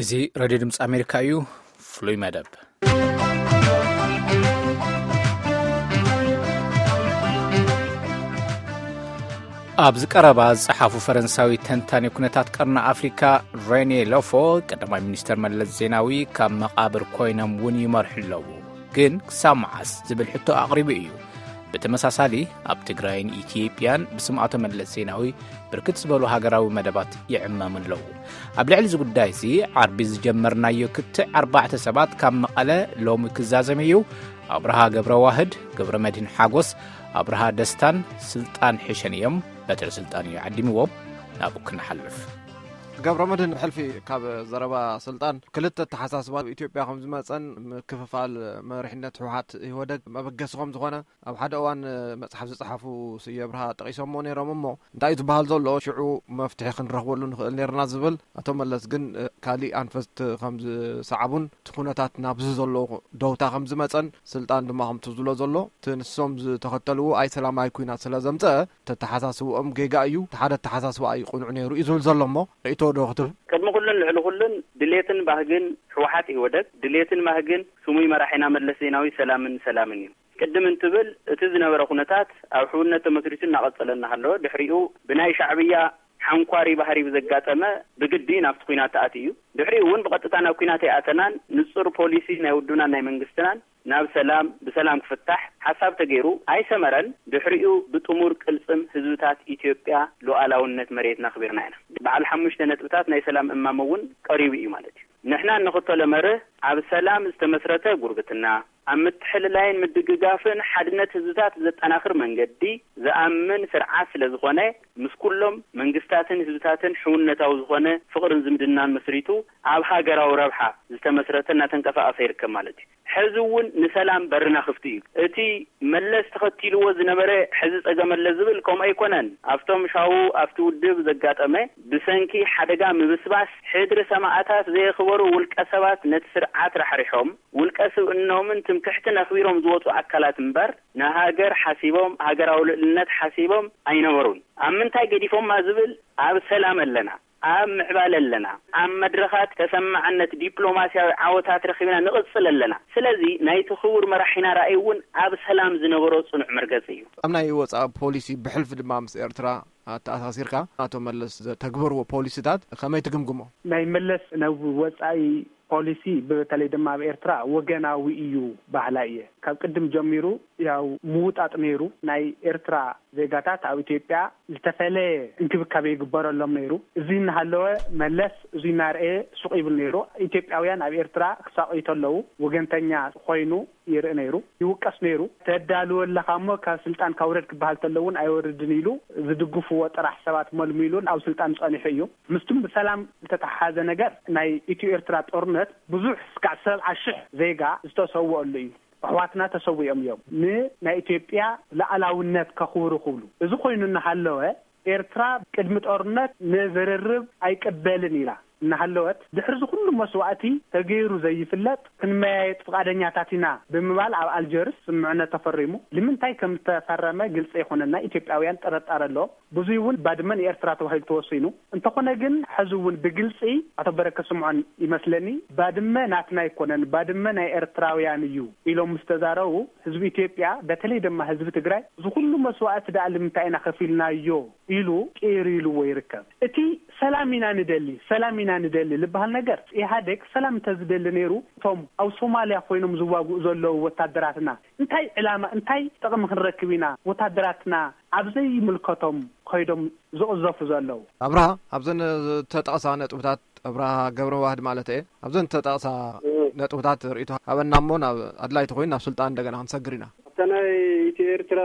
እዚ ሬድዮ ድምፂ ኣሜሪካ እዩ። ፍሉይ መደብ። ኣብዚ ቀረባ ዝጸሓፉ ፈረንሳዊ ተንታኒ ኩነታት ቀርኒ ኣፍሪካ ሬኔ ሎፎ፣ ቀዳማይ ሚኒስተር መለስ ዜናዊ ካብ መቓብር ኮይኖም እውን ይመርሑ ኣለዉ፣ ግን ክሳብ መዓስ ዝብል ሕቶ ኣቕሪቡ እዩ። ብተመሳሳሊ፣ ኣብ ትግራይን ኢትዮጵያን ብስም ኣቶ መለስ ዜናዊ ብርክት ዝበሉ ሃገራዊ መደባት ይዕመሙ ኣለዉ። ኣብ ልዕሊ እዚ ጉዳይ እዚ፣ ዓርቢ ዝጀመርናዮ ክትዕ ኣርባዕተ ሰባት ካብ መቐለ ሎሚ ክዛዘም እዩ። ኣብርሃ ገብረ ዋህድ፣ ገብረ መድህን ሓጎስ፣ ኣብርሃ ደስታን ስልጣን ሕሸን እዮም በትሪ ስልጣን እዩ ዓዲምዎም። ናብኡ ክንሓልፍ። ገብረ መድህን፣ ሕልፊ ካብ ዘረባ ስልጣን፣ ክልተ ኣተሓሳስባ ኣብ ኢትዮጵያ ከም ዝመፀን ምክፍፋል መሪሕነት ህወሓት ኢህወደግ መበገሲ ከም ዝኾነ ኣብ ሓደ እዋን መፅሓፍ ዝፀሓፉ ስየ ኣብርሃ ጠቂሶሞ ነይሮም። እሞ እንታይ እዩ ዝበሃል ዘሎ? ሽዑ መፍትሒ ክንረኽበሉ ንኽእል ነይርና ዝብል፣ ኣቶ መለስ ግን ካሊእ ኣንፈት ከም ዝሰዓቡን እቲ ኩነታት ናብዚ ዘሎ ደውታ ከም ዝመፀን ስልጣን ድማ ከምቲ ዝብሎ ዘሎ እቲ ንሶም ዝተኸተልዎ ኣይ ሰላማዊ ኩናት ስለ ዘምፀአ ተተሓሳስብኦም ጌጋ እዩ፣ እቲ ሓደ ኣተሓሳስባ እዩ ቅኑዕ ነይሩ እዩ ዝብል ዘሎ። እሞ ርእቶ ዶ ክትብ? ቅድሚ ኩሉን ልዕሊ ኩሉን ድሌትን ባህግን ህወሓት ኢህወደግ፣ ድሌትን ባህግን ስሙይ መራሒና መለስ ዜናዊ ሰላምን ሰላምን እዩ። ቅድም እንትብል እቲ ዝነበረ ኩነታት ኣብ ሕውነት ተመስሪቱ እናቐጸለ እናሃለወ፣ ድሕሪኡ ብናይ ሻዕብያ ሓንኳሪ ባህሪ ብዘጋጠመ ብግዲ ናብቲ ኩናት ተኣትዩ እዩ። ድሕሪኡ እውን ብቐጥታ ናብ ኩናት ኣይኣተናን። ንጹር ፖሊሲ ናይ ውድብናን ናይ መንግስትናን ናብ ሰላም፣ ብሰላም ክፍታሕ ሓሳብ ተገይሩ ኣይሰመረን። ድሕሪኡ ብጥሙር ቅልጽም ህዝብታት ኢትዮጵያ ሉዓላውነት መሬትና ኣኽቢርና ኢና። በዓል ሓሙሽተ ነጥብታት ናይ ሰላም እማመ እውን ቀሪቡ እዩ ማለት እዩ። ንሕና እንኽተሎ መርህ ኣብ ሰላም ዝተመስረተ ጉርብትና፣ ኣብ ምትሕልላይን ምድግጋፍን ሓድነት ህዝብታት ዘጠናኽር መንገዲ ዝኣምን ስርዓት ስለ ዝኾነ፣ ምስ ኩሎም መንግስታትን ህዝብታትን ሕውነታዊ ዝኾነ ፍቕርን ዝምድናን መስሪቱ ኣብ ሃገራዊ ረብሓ ዝተመስረተ እናተንቀሳቐሰ ይርከብ ማለት እዩ። ሕዚ እውን ንሰላም በርና ክፍቲ እዩ። እቲ መለስ ተኸቲልዎ ዝነበረ ሕዚ ጸገም ኣለ ዝብል ከምኡ ኣይኮነን። ኣብቶም ሻው ኣብቲ ውድብ ዘጋጠመ ብሰንኪ ሓደጋ ምብስባስ ሕድሪ ሰማእታት ዘየኽበሩ ውልቀ ሰባት ነቲ ስርዓት ራሕሪሖም፣ ውልቀ ስብእኖምን ትምክሕትን ኣኽቢሮም ዝወጹ ኣካላት እምበር፣ ንሃገር ሓሲቦም፣ ሃገራዊ ልዕልነት ሓሲቦም ኣይነበሩን። ኣብ ምንታይ ገዲፎማ ዝብል፣ ኣብ ሰላም ኣለና፣ ኣብ ምዕባለ ኣለና፣ ኣብ መድረኻት ተሰማዕነት ዲፕሎማስያዊ ዓወታት ረኺብና ንቕጽል ኣለና። ስለዚ ናይቲ ክቡር መራሒና ራእይ እውን ኣብ ሰላም ዝነበሮ ጽኑዕ መርገጺ እዩ። ኣብ ናይ ወጻኢ ፖሊሲ ብሕልፊ ድማ ምስ ኤርትራ ኣተኣሳሲርካ ኣቶ መለስ ዘተግበርዎ ፖሊሲታት ከመይ ትግምግሞ? ናይ መለስ ናይ ወጻኢ ፖሊሲ፣ በተለይ ድማ ኣብ ኤርትራ፣ ወገናዊ እዩ በሃላይ እየ። ካብ ቅድም ጀሚሩ ያው ምውጣጥ ነይሩ። ናይ ኤርትራ ዜጋታት ኣብ ኢትዮጵያ ዝተፈለየ እንክብካቤ ይግበረሎም ነይሩ። እዚ እናሃለወ መለስ እዚ እናርአየ ሱቕ ይብል ነይሩ። ኢትዮጵያውያን ኣብ ኤርትራ ክሳቐዩ ተለዉ ወገንተኛ ኮይኑ ይርኢ ነይሩ፣ ይውቀስ ነይሩ። ተዳልወ ኣለኻ እሞ ካብ ስልጣን ካውረድ ክበሃል ተሎ እውን ኣይወርድን ኢሉ ዝድግፍዎ ጥራሕ ሰባት መልሚሉ ኣብ ስልጣን ጸኒሑ እዩ። ምስቱም ብሰላም ዝተተሓሓዘ ነገር፣ ናይ ኢትዮ ኤርትራ ጦርነት ብዙሕ እስካዕ ሰብዓ ሽሕ ዜጋ ዝተሰወኣሉ እዩ። ኣሕዋትና ተሰዊኦም እዮም ንናይ ኢትዮጵያ ሉዓላውነት ከኽብሩ ክብሉ። እዚ ኮይኑ እናሃለወ ኤርትራ ቅድሚ ጦርነት ንዝርርብ ኣይቅበልን ኢላ እናሃለወት፣ ድሕሪ እዚ ኩሉ መስዋእቲ ተገይሩ ዘይፍለጥ ክንመያየጥ ፍቓደኛታት ኢና ብምባል ኣብ ኣልጀርስ ስምምዕነት ተፈሪሙ። ንምንታይ ከም ዝተፈረመ ግልፂ ኣይኮነን። ናይ ኢትዮጵያውያን ጥርጣረ ኣሎ። ብዙይ እውን ባድመ ንኤርትራ ተባሂሉ ተወሲኑ። እንተኾነ ግን ሕዚ እውን ብግልፂ ኣቶ በረከት ስምዖን ይመስለኒ፣ ባድመ ናትና ኣይኮነን፣ ባድመ ናይ ኤርትራውያን እዩ ኢሎም ምስ ተዛረቡ፣ ህዝቢ ኢትዮጵያ፣ በተለይ ድማ ህዝቢ ትግራይ፣ እዚ ኩሉ መስዋእቲ ደኣ ልምንታይ ኢና ከፊልናዮ ኢሉ ቅይር ኢልዎ ይርከብ። እቲ ሰላም ኢና ንደሊ፣ ሰላም ኢና ንደሊ ልበሃል ነገር፣ ኢህኣዴግ ሰላም እንተዝደሊ ነይሩ፣ እቶም ኣብ ሶማልያ ኮይኖም ዝዋግኡ ዘለዉ ወታደራትና እንታይ ዕላማ፣ እንታይ ጥቕሚ ክንረክብ ኢና ወታደራትና ኣብ ዘይምልከቶም ከይዶም ዝቕዘፉ ዘለዉ? ኣብርሃ፣ ኣብዘን ዝተጠቕሳ ነጥብታት፣ ኣብርሃ ገብረ ዋህድ ማለት እየ፣ ኣብዘን ዝተጠቕሳ ነጥብታት ርእይቶ ሃበና እሞ ናብ ኣድላይቲ ኮይኑ ናብ ስልጣን እንደገና ክንሰግር ኢና። ኣብታ ናይ ኢትዮ ኤርትራ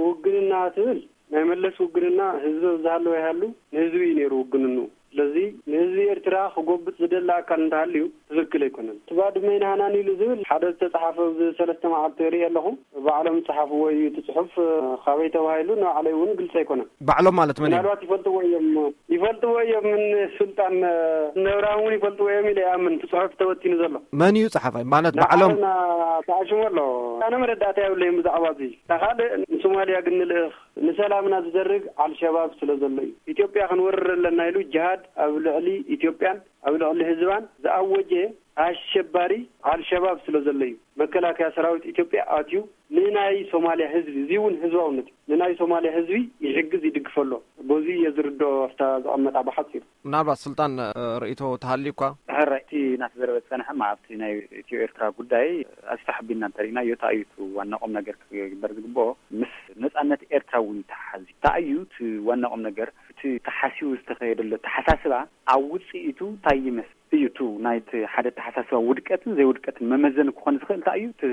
ውግንና ትብል፣ ናይ መለስ ውግንና ህዝቢ ኣብ ዝሃለወ ይሃሉ ንህዝቢ እዩ ነይሩ ውግንኑ። ስለዚ ንህዝቢ ኤርትራ ክጎብጥ ዝደሊ ኣካል እንተሃልዩ ትኽክል ኣይኮነን። እቲ ባድመ ይንሃናን ኢሉ ዝብል ሓደ ዝተጻሓፈ ኣብዚ ሰለስተ መዓልቲ ርኢ ኣለኹ። ባዕሎም ዝጸሓፍዎ እዩ እቲ ጽሑፍ፣ ካበይ ተባሂሉ ንባዕለይ እውን ግልጺ ኣይኮነን። ባዕሎም ማለት መን እዮም? ምናልባት ይፈልጥዎ እዮም፣ ይፈልጥዎ እዮም። ምን ስልጣን ነብራም እውን ይፈልጥዎ እዮም ኢለ ይኣምን። እቲ ጽሑፍ ተበቲኑ ዘሎ መን እዩ ጸሓፋይ? ማለት ባዕሎም ንዓለምና ተኣሽሙ ኣሎ። ኣነ መረዳእታ የብለይን ብዛዕባ እዚ። ካልእ ንሶማልያ ግን ንልእኽ ንሰላምና ዝደርግ ኣልሸባብ ስለ ዘሎ እዩ። ኢትዮጵያ ክንወርር ኣለና ኢሉ ጅሃድ ኣብ ልዕሊ ኢትዮጵያን ኣብ ልዕሊ ህዝባን ዝኣወጀ ኣሸባሪ ኣልሸባብ ስለ ዘሎ እዩ። መከላከያ ሰራዊት ኢትዮጵያ ኣትዩ ንናይ ሶማሊያ ህዝቢ፣ እዚ እውን ህዝባውነት እዩ፣ ንናይ ሶማሊያ ህዝቢ ይሕግዝ፣ ይድግፈ ኣሎ። በዚ እየ ዝርድኦ፣ ኣብታ ዝቐመጣ ብሓፂሩ። ምናልባት ስልጣን፣ እ፣ ርእይቶ ተሃልዩ እኳ። ሕራይ፣ እቲ እናተዘረበ ዝጸንሐ፣ እማ ኣብቲ ናይ ኢትዮ ኤርትራ ጉዳይ ኣዝዩ ተሓቢእና እንተሪእናዮ፣ እንታይ እዩ እቲ ዋና ቁም ነገር ክግበር ዝግብኦ? ምስ ነጻነት ኤርትራ እውን ይተሓሓዝ እዩ። እንታይ እዩ እቲ ዋና ቁም ነገር? እቲ ተሓሲቡ ዝተኸየደሎ ኣተሓሳስባ ኣብ ውጽኢቱ እንታይ ይመስል እዩ? እቲ ናይቲ ሓደ ኣተሓሳስባ ውድቀትን ዘይውድቀትን መመዘኒ ክኾን ዝኽእል እንታይ እዩ? እቲ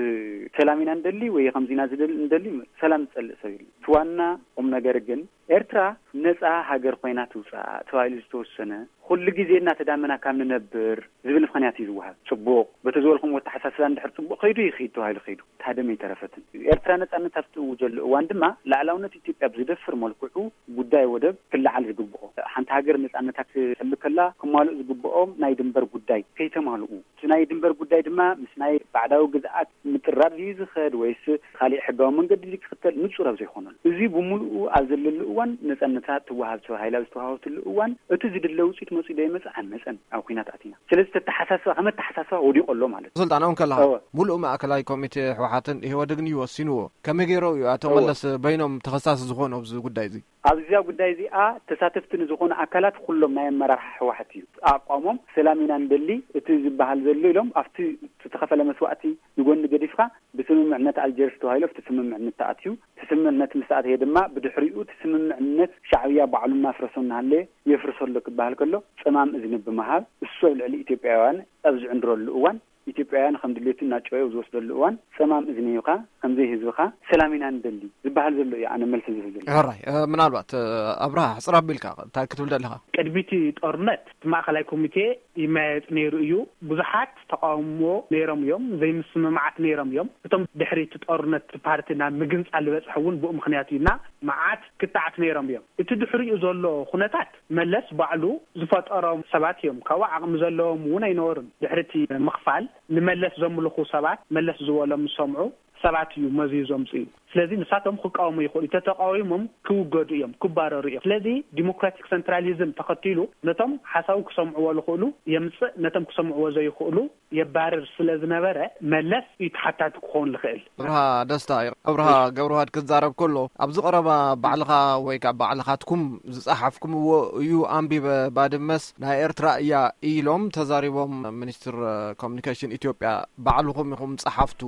ሰላም ኢና ንደሊ ወይ ከምዚ ኢና ዝደሊ፣ ንደሊ፣ ሰላም ዝጸልእ ሰብ የለን። እቲ ዋና ቁም ነገር ግን ኤርትራ ነጻ ሃገር ኮይና ትውጻእ ተባሂሉ ዝተወሰነ፣ ኩሉ ግዜ እናተዳመና ካብ ንነብር ዝብል ምኽንያት እዩ ዝወሃብ። ጽቡቕ፣ በቲ ዝበልኩም ኣተሓሳስባ እንድሕር ጽቡቕ ከይዱ ይኸይድ ተባሂሉ ከይዱ፣ እታ ደም ኣይተረፈትን። ኤርትራ ነጻነት ኣብ ትእውጀሉ እዋን ድማ ላዕላውነት ኢትዮጵያ ብዝደፍር መልክዑ ጉዳይ ወደብ ክለዓል ዝግብኦ። ሓንቲ ሃገር ነጻነታ ክትሕሉ ከላ ክማልኡ ዝግብኦም ናይ ድንበር ጉዳይ ከይተማልኡ፣ እቲ ናይ ድንበር ጉዳይ ድማ ምስ ናይ ባዕዳዊ ግዝኣት ምጥራር ድዩ ዝኸድ ወይስ ካሊእ ሕጋዊ መንገዲ ድዩ ክኽተል ንጹር ኣብ ዘይኮነሉ፣ እዚ ብምሉኡ ኣብ ዘለሉ እዋን፣ ነጻነታ ትወሃብ ተባሂላ ኣብ ዝተዋሃበትሉ እዋን፣ እቲ ዝድለ ውጽኢት መጺኡ ዶ ይመጽእ ኣይመጸን፣ ኣብ ኲናት ኣቲና። ስለዚ፣ ተተሓሳስባ፣ ከም ኣተሓሳስባ ወዲቑ ኣሎ ማለት እዩ። ስልጣን እውን ከለኻ፣ እወ። ሙሉእ ማእከላይ ኮሚቴ ህወሓትን ኢህወደግን እዩ ወሲንዎ። ከመይ ገይሮም እዩ ኣቶ እወ። መለስ በይኖም ተኸሳሲ ዝኾኑ ኣብዚ ጉዳይ እዚ? ኣብዛ ጉዳይ እዚኣ ተሳተፍቲ ንዝኾኑ ኣካላት ኩሎም ናይ ኣመራርሓ ህወሓት እዩ። ኣቋሞም ሰላም ኢና ንደሊ፣ እቲ ዝበሃል ዘሎ ኢሎም ኣብቲ ዝተኸፈለ መስዋእቲ ንጎኒ ገዲፍካ ብስምምዕነት ኣልጀርስ ተባሂሉ ኣብቲ ስምምዕነት ተኣትዩ። እቲ ስምምዕነት ምስ ኣተየ ድማ ብድሕሪኡ እቲ ስምምዕነት ሻዕብያ ባዕሉ እናፍረሶ እናሃለየ የፍርሶ ኣሎ ክበሃል ከሎ ጸማም እዝኒ ብምሃብ እሱ ኣብ ልዕሊ ኢትዮጵያውያን ኣብ ዝዕንድረሉ እዋን ኢትዮጵያውያን ከም ድሌቱ እናጨወየ ኣብ ዝወስደሉ እዋን ጸማም እዝኒ ሂብካ ከምዘይ ህዝብኻ ሰላም ኢና ንደሊ ዝበሃል ዘሎ እዩ ኣነ መልሲ ዝህብ ዘሎ። ሕራይ፣ እ፣ ምናልባት፣ እ፣ ኣብርሃ ሕጽር ኣቢልካ እንታይ ክትብል ደለኻ? ቅድሚ እቲ ጦርነት እቲ ማእኸላይ ኮሚቴ ይመያየጥ ነይሩ እዩ። ብዙሓት ተቃውሞ ነይሮም እዮም። ዘይምስምማዓት ነይሮም እዮም። እቶም ድሕሪ እቲ ጦርነት ፓርቲ ናብ ምግንጻል ዝበጽሐ እውን ብኡ ምኽንያት እዩ እና መዓት ክተዓት ነይሮም እዮም። እቲ ድሕሪኡ ዘሎ ኩነታት መለስ ባዕሉ ዝፈጠሮም ሰባት እዮም። ካብኡ ዓቕሚ ዘለዎም እውን ኣይነበሩን። ድሕሪ እቲ ምኽፋል ንመለስ ዘምልኹ ሰባት፣ መለስ ዝበሎም ዝሰምዑ ሰባት እዩ መዚዩ ዘምጽኡ። ስለዚ ንሳቶም ክቃወሙ ይኽእሉ። ተተቃዊሞም ክውገዱ እዮም፣ ክባረሩ እዮም። ስለዚ ዲሞክራቲክ ሰንትራሊዝም ተኸቲሉ ነቶም ሓሳቡ ክሰምዕዎ ዝኽእሉ የምጽእ፣ ነቶም ክሰምዕዎ ዘይኽእሉ የባርር ስለ ዝነበረ መለስ እዩ ተሓታቲ ክኸውን ዝኽእል። ኣብርሃ ደስታ እዩ። ኣብርሃ እሺ። ገብረዋህድ ክዛረብ ከሎ ኣብዚ ቀረባ ባዕልኻ ወይ ከዓ ባዕልኻትኩም ዝጸሓፍኩምዎ እዩ ኣንቢበ። ባድመስ ናይ ኤርትራ እያ ኢሎም ተዛሪቦም። ሚኒስትር ኮሚኒኬሽን ኢትዮጵያ ባዕልኹም ኢኹም ጸሓፍቱ፣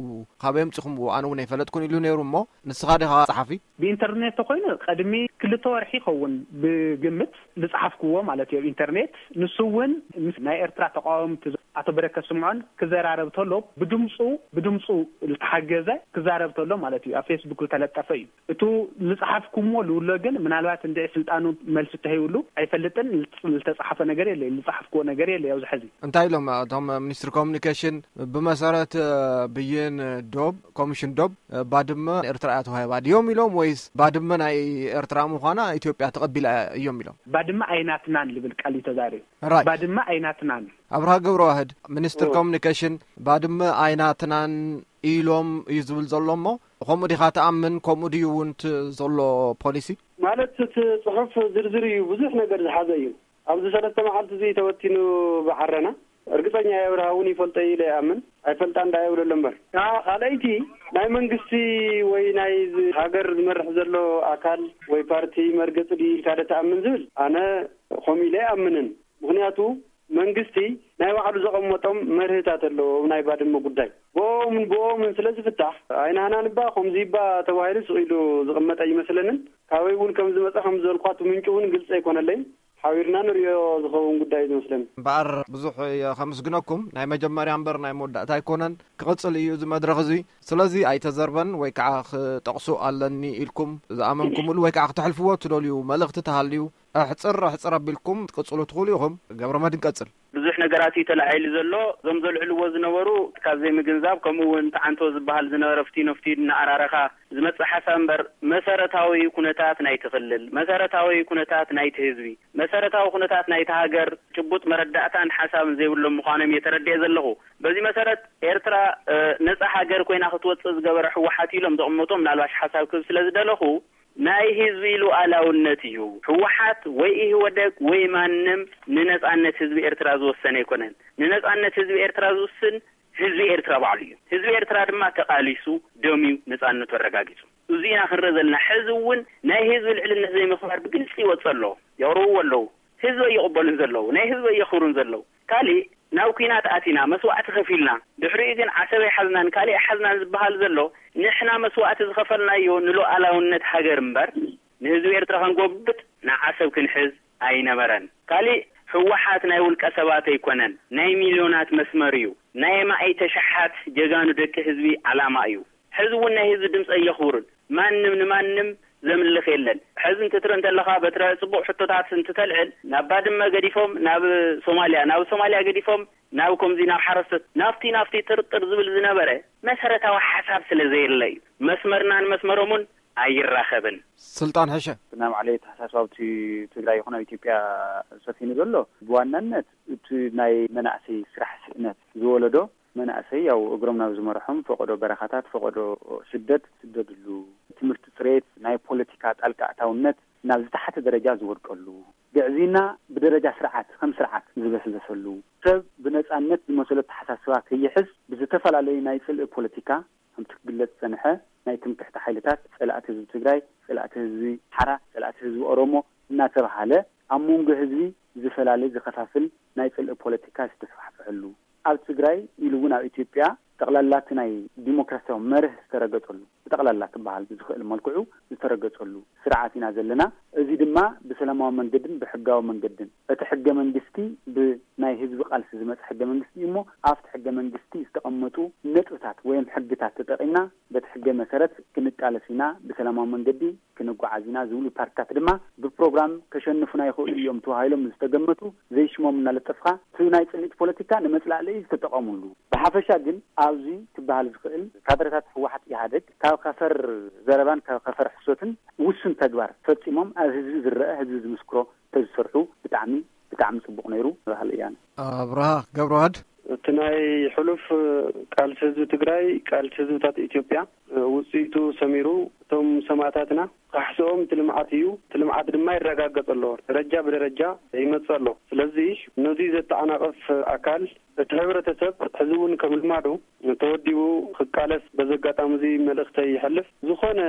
ካበይ ኣምጺኹምዎ? ኣነ እውን ኣይፈለጥኩን ኢሉ ነይሩ። እሞ ንስኻ ዲኻ ጸሓፊ? ብኢንተርኔት ተኾይኑ ቅድሚ ክልተ ወርሒ ይኸውን ብግምት ዝጸሓፍኩዎ ማለት እዩ ኣብ ኢንተርኔት። ንሱ እውን ምስ ናይ ኤርትራ ተቃወምቲ ኣቶ በረከት ስምዖን ክዘራረብ ተሎ ብድምፁ፣ ብድምፁ ዝተሓገዘ ክዛረብ ተሎ ማለት እዩ። ኣብ ፌስቡክ ዝተለጠፈ እዩ። እቱ ዝጸሓፍኩሞ ልውሎ ግን ምናልባት እንድዒ ስልጣኑ መልሲ ተሂብሉ ኣይፈልጥን። ዝተጻሓፈ ነገር የለ፣ ዝጸሓፍክዎ ነገር የለ ኣብዚ ሕዚ። እንታይ ኢሎም እቶም ሚኒስትሪ ኮሚኒኬሽን? ብመሰረት፣ እ፣ ብይን ዶብ፣ ኮሚሽን ዶብ፣ እ፣ ባድመ ኤርትራ እያ ተዋሂባ ድዮም ኢሎም ወይስ ባድመ ናይ ኤርትራ ምዃና ኢትዮጵያ ተቐቢላ እዮም ኢሎም? ባድመ ኣይናትናን ልብል ቃል እዩ ተዛሪቡ። ራይት። ባድመ ኣይናትናን። ኣብርሃ ገብረዋህድ፣ ሚኒስትር ኦ። ኮሚኒኬሽን፣ ባድመ ኣይናትናን ኢሎም እዩ ዝብል ዘሎ እሞ፣ ከምኡ ዲኻ ትኣምን? ከምኡ ድዩ እውን እቲ ዘሎ ፖሊሲ? ማለት እቲ ጽሑፍ ዝርዝር እዩ፣ ብዙሕ ነገር ዝሓዘ እዩ። ኣብዚ ሰለስተ መዓልቲ እዚ ተወቲኑ ብዓረና። እርግጸኛ እየ ኣብርሃ እውን ይፈልጦ እዩ ኢለ ይኣምን። ኣይፈልጣን ደኣ ይብለሎ እምበር። እታ ካልኣይቲ ናይ መንግስቲ ወይ ናይ ዝ-፣ ሃገር ዝመርሕ ዘሎ ኣካል ወይ ፓርቲ መርገጺ ድዩ ኢልካ ዶ ትኣምን ዝብል ኣነ ከምኡ ኢለ ኣይኣምንን። ምኽንያቱ መንግስቲ ናይ ባዕሉ ዘቐመጦም መርህታት ኣለዎ። ናይ ባድመ ጉዳይ ብኦምን ብኦምን ስለ ዝፍታሕ ኣይናህናን እባ ከምዚ እባ ተባሂሉ ስቕ ኢሉ ዝቕመጥ ኣይመስለንን። ካበይ እውን ከም ዝመጸ ከም ዝበልኳ እቲ ምንጩ እውን ግልጺ ኣይኮነለይን። ሓቢርና ንሪኦ ዝኸውን ጉዳይ እዩ ዝመስለኒ። እምበኣር ብዙሕ እየ ከመስግነኩም። ናይ መጀመርያ እምበር ናይ መወዳእታ ኣይኮነን። ክቕጽል እዩ እዚ መድረኽ እዚ። ስለዚ ኣይተዘርበን ወይ ከዓ ክጠቕሶ ኣለኒ ኢልኩም ዝኣመንኩምሉ ወይ ከዓ ክተሕልፍዎ እትደልዩ መልእኽቲ ተሃልዩ ኣሕጽር ኣሕጽር ኣቢልኩም ክትቅጽሉ ትኽእሉ ኢኹም። ገብረመድህን ቀጽል። ብዙሕ ነገራት እዩ ተላዒሉ ዘሎ። እዞም ዘልዕልዎ ዝነበሩ ካብ ዘይምግንዛብ፣ ከምኡ እውን ተዓንቶ ዝበሃል ዝነበረ ፍትዩ ንፍትዩ እናኣራረኻ ዝመጽእ ሓሳብ እምበር፣ መሰረታዊ ኩነታት ናይቲ ክልል፣ መሰረታዊ ኩነታት ናይቲ ህዝቢ፣ መሰረታዊ ኩነታት ናይቲ ሃገር ጭቡጥ መረዳእታን ሓሳብን ዘይብሎም ምዃኖም እየ ተረዲኤ ዘለኹ። በዚ መሰረት ኤርትራ፣ እ፣ ነጻ ሃገር ኮይና ክትወጽእ ዝገበረ ህወሓት ኢሎም ዘቕመጦ ምናልባሽ ሓሳብ ክህብ ስለ ዝደለኹ፣ ናይ ህዝቢ ሉዓላውነት እዩ። ህወሓት ወይ ኢህወደግ ወይ ማንም ንነጻነት ህዝቢ ኤርትራ ዝወሰነ ኣይኮነን። ንነጻነት ህዝቢ ኤርትራ ዝውስን ህዝቢ ኤርትራ ባዕሉ እዩ። ህዝቢ ኤርትራ ድማ ተቓሊሱ ደምዩ ነጻነቱ ኣረጋጊጹ። እዚና ክንርኢ ዘለና። ሕዚ እውን ናይ ህዝቢ ልዕልነት ዘይምኽባር ብግልፂ ይወፅእ ኣሎ። የቕርብዎ ኣለዉ። ህዝቢ ኣይቕበሉን ዘለዉ፣ ናይ ህዝቢ ኣየኽብሩን ዘለዉ። ካሊእ ናብ ኲናት ኣቲና መስዋዕቲ ከፊልና፣ ድሕሪኡ ግን ዓሰብ ኣይሓዝናን ካሊእ ኣይሓዝናን ዝበሃል ዘሎ፣ ንሕና መስዋዕቲ ዝኸፈልናዮ ንሉዓላውነት ሃገር እምበር ንህዝቢ ኤርትራ ክንጎብጥ ንዓሰብ ክንሕዝ ኣይነበረን። ካሊእ ህወሓት ናይ ውልቀ ሰባት ኣይኮነን፣ ናይ ሚልዮናት መስመር እዩ። ናይ ኣማኢተ ሸሓት ጀጋኑ ደቂ ህዝቢ ዓላማ እዩ። ሕዚ እውን ናይ ህዝቢ ድምፂ ኣየኽብሩን። ማንም ንማንም ዘምልኽ የለን። ሕዚ እንትትርኢ እንተለኻ በትረ ፅቡቕ ሕቶታት እንትተልዕል ናብ ባድመ ገዲፎም ናብ ሶማልያ፣ ናብ ሶማልያ ገዲፎም ናብ ከምዚ ናብ ሓረስቶት ናብቲ ናብቲ ጥርጥር ዝብል ዝነበረ መሰረታዊ ሓሳብ ስለ ዘየለ እዩ። መስመርናን መስመሮምን ኣይራኸብን። ስልጣን ሕሸ ብናይ ባዕለይ ኣተሓሳስባ ኣብቲ ትግራይ ይኹን ኣብ ኢትዮጵያ ሰፊኑ ዘሎ ብዋናነት እቲ ናይ መናእሰይ ስራሕ ስእነት ዝወለዶ መናእሰይ ያው እግሮም ናብ ዝመርሖም ፈቐዶ በረኻታት ፈቐዶ ስደት ዝስደድሉ ትምህርቲ ፅሬት ናይ ፖለቲካ ጣልቃ ኣእታውነት ናብ ዝተሓተ ደረጃ ዝወድቀሉ ግዕዝይና ብደረጃ ስርዓት ከም ስርዓት ዝበስበሰሉ ሰብ ብነፃነት ዝመሰሎ ኣተሓሳስባ ከይሕዝ ብዝተፈላለዩ ናይ ፅልኢ ፖለቲካ ከምቲ ክግለፅ ዝፀንሐ ናይ ትምክሕቲ ሓይልታት ፀላእቲ ህዝቢ ትግራይ ፀላእቲ ህዝቢ ሓራ ፀላእቲ ህዝቢ ኦሮሞ እናተብሃለ ኣብ መንጎ ህዝቢ ዝፈላሊ ዝኸፋፍል ናይ ፅልኢ ፖለቲካ ዝተስፋሕፍሐሉ ኣብ ትግራይ ኢሉ እውን ኣብ ኢትዮጵያ ጠቕላላ እቲ ናይ ዲሞክራሲያዊ መርህ ዝተረገፀሉ ብጠቕላላ ክበሃል ብዝኽእል መልክዑ ዝተረገፀሉ ስርዓት ኢና ዘለና። እዚ ድማ ብሰላማዊ መንገድን ብሕጋዊ መንገድን እቲ ሕገ መንግስቲ ብናይ ህዝቢ ቃልሲ ዝመፀ ሕገ መንግስቲ እዩ እሞ ኣብቲ ሕገ መንግስቲ ዝተቐመጡ ነጥብታት ወይም ሕግታት ተጠቒምና በቲ ሕገ መሰረት ክንቃለስ ኢና ብሰላማዊ መንገዲ ክንጓዓዝ ኢና ዝብሉ ፓርቲታት ድማ ብፕሮግራም ከሸንፉና ይኽእሉ እዮም ተባሂሎም ዝተገመቱ ዘይሽሞም እናለጠፍካ እቲ ናይ ፅልኢት ፖለቲካ ንመፅላእለይ ዝተጠቐሙሉ። ብሓፈሻ ግን ኣብዚ ክበሃል ዝኽእል ካድረታት ህወሓት ኢህኣደግ ካብ ከፈር ዘረባን ካብ ከፈር ሕሶትን ውሱን ተግባር ፈፂሞም ኣብ ህዝቢ ዝረአ ህዝቢ ዝምስክሮ ተዝሰርሑ ብጣዕሚ ብጣዕሚ ፅቡቕ ነይሩ በሃሊ እየ። ኣብርሃ ገብረዋህድ። እቲ ናይ ሕሉፍ ቃልሲ ህዝቢ ትግራይ ቃልሲ ህዝብታት ኢትዮጵያ ውፅኢቱ ሰሚሩ እቶም ሰማእታትና ካሕስኦም እቲ ልምዓት እዩ። እቲ ልምዓት ድማ ይረጋገፅ ኣሎ። ደረጃ ብደረጃ ይመፅእ ኣሎ። ስለዚ ነዚ ዘተዓናቕፍ ኣካል እቲ ሕብረተሰብ ሕዚ እውን ከም ልማዱ ተወዲቡ ክቃለስ በዚ ኣጋጣሚ እዚ መልእኽተይ ይሐልፍ። ዝኾነ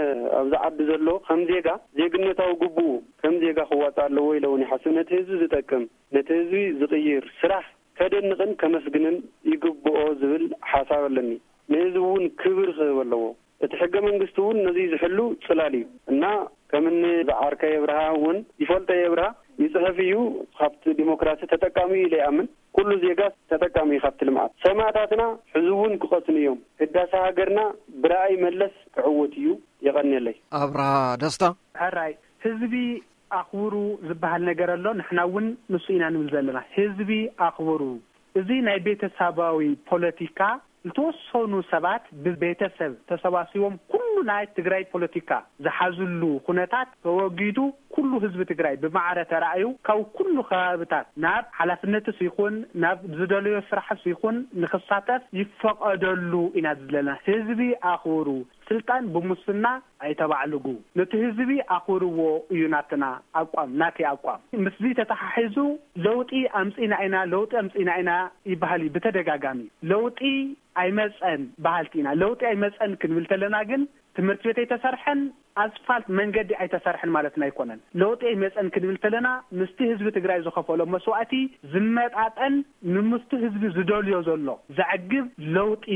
ኣብዚ ዓዲ ዘሎ ከም ዜጋ ዜግነታዊ ግቡኡ ከም ዜጋ ክዋፃእ ኣለዎ ኢለ እውን ይሓስብ። ነቲ ህዝቢ ዝጠቅም ነቲ ህዝቢ ዝቕይር ስራሕ ከደንቕን ከመስግንን ይግብኦ ዝብል ሓሳብ ኣለኒ። ንህዝቢ እውን ክብር ክህብ ኣለዎ። እቲ ሕገ መንግስቲ እውን ነዚ ዝሕሉ ፅላል እዩ እና ከምኒ ዝዓርከይ ኣብርሃ እውን ይፈልጦ እየ። ኣብርሃ ይፅሕፍ እዩ፣ ካብቲ ዲሞክራሲ ተጠቃሚ እዩ ኢለ ይኣምን። ኩሉ ዜጋ ተጠቃሚ እዩ ካብቲ ልምዓት። ሰማእታትና ሕዚ እውን ክቐፅኑ እዮም። ህዳሰ ሃገርና ብረኣይ መለስ ክዕወት እዩ። የቐንየለይ። ኣብርሃ ደስታ። ሕራይ ህዝቢ ኣኽብሩ ዝበሃል ነገር ኣሎ። ንሕና እውን ንሱ ኢና ንብል ዘለና። ህዝቢ ኣኽብሩ። እዚ ናይ ቤተሰባዊ ፖለቲካ ዝተወሰኑ ሰባት ብቤተሰብ ተሰባሲቦም ኩሉ ናይ ትግራይ ፖለቲካ ዝሓዝሉ ኩነታት ተወጊዱ ኩሉ ህዝቢ ትግራይ ብማዕረ ተራእዩ ካብ ኩሉ ከባብታት ናብ ሓላፍነትስ ይኹን ናብ ዝደለዮ ስራሕስ ይኹን ንክሳተፍ ይፈቐደሉ ኢና ዘለና። ህዝቢ ኣኽብሩ። ስልጣን ብሙስና ኣይተባዕልጉ። ነቲ ህዝቢ ኣኽብርዎ እዩ ናትና ኣቋም፣ ናተይ ኣቋም። ምስዚ ተተሓሒዙ ለውጢ ኣምፂና ኢና፣ ለውጢ ኣምፂና ኢና ይበሃል እዩ ብተደጋጋሚ። ለውጢ ኣይመፀን በሃልቲ ኢና። ለውጢ ኣይመፀን ክንብል ተለና ግን ትምህርቲ ቤት ኣይተሰርሐን፣ ኣስፋልት መንገዲ ኣይተሰርሐን ማለትና ኣይኮነን። ለውጢ ኣይመፀን ክንብል ተለና ምስቲ ህዝቢ ትግራይ ዝኸፈሎ መስዋእቲ ዝመጣጠን ንምስቲ ህዝቢ ዝደልዮ ዘሎ ዘዕግብ ለውጢ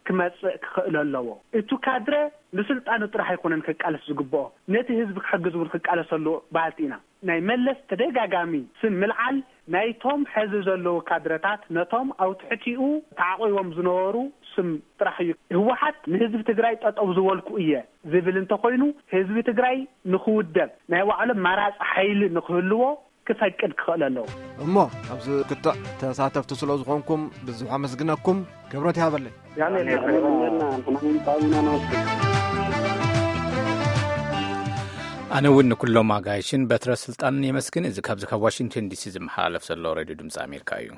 ክመፅእ ክኽእል ኣለዎ። እቱ ካድረ ንስልጣኑ ጥራሕ ኣይኮነን ክቃለስ ዝግብኦ፣ ነቲ ህዝቢ ክሕግዝ እውን ክቃለስ ኣለዎ በሃልቲ ኢና። ናይ መለስ ተደጋጋሚ ስም ምልዓል ናይቶም ሕዚ ዘለዉ ካድረታት ነቶም ኣብ ትሕቲኡ ተዓቒቦም ዝነበሩ ስም ጥራሕ እዩ። ህወሓት ንህዝቢ ትግራይ ጠጠው ዝበልኩ እየ ዝብል እንተኾይኑ ህዝቢ ትግራይ ንኽውደብ ናይ ባዕሎም መራፂ ሓይሊ ንኽህልዎ ክፈቅድ ክኽእል ኣለዎ። እሞ ኣብዚ ክትዕ ተሳተፍቲ ስለ ዝኾንኩም ብዙሕ ኣመስግነኩም። ክብረት ይሃበለይ። ኣነ እውን ንኩሎም ኣጋይሽን በትረ ስልጣንን የመስግን። እዚ ካብዚ ካብ ዋሽንግተን ዲሲ ዝመሓላለፍ ዘሎ ሬድዮ ድምፂ ኣሜሪካ እዩ።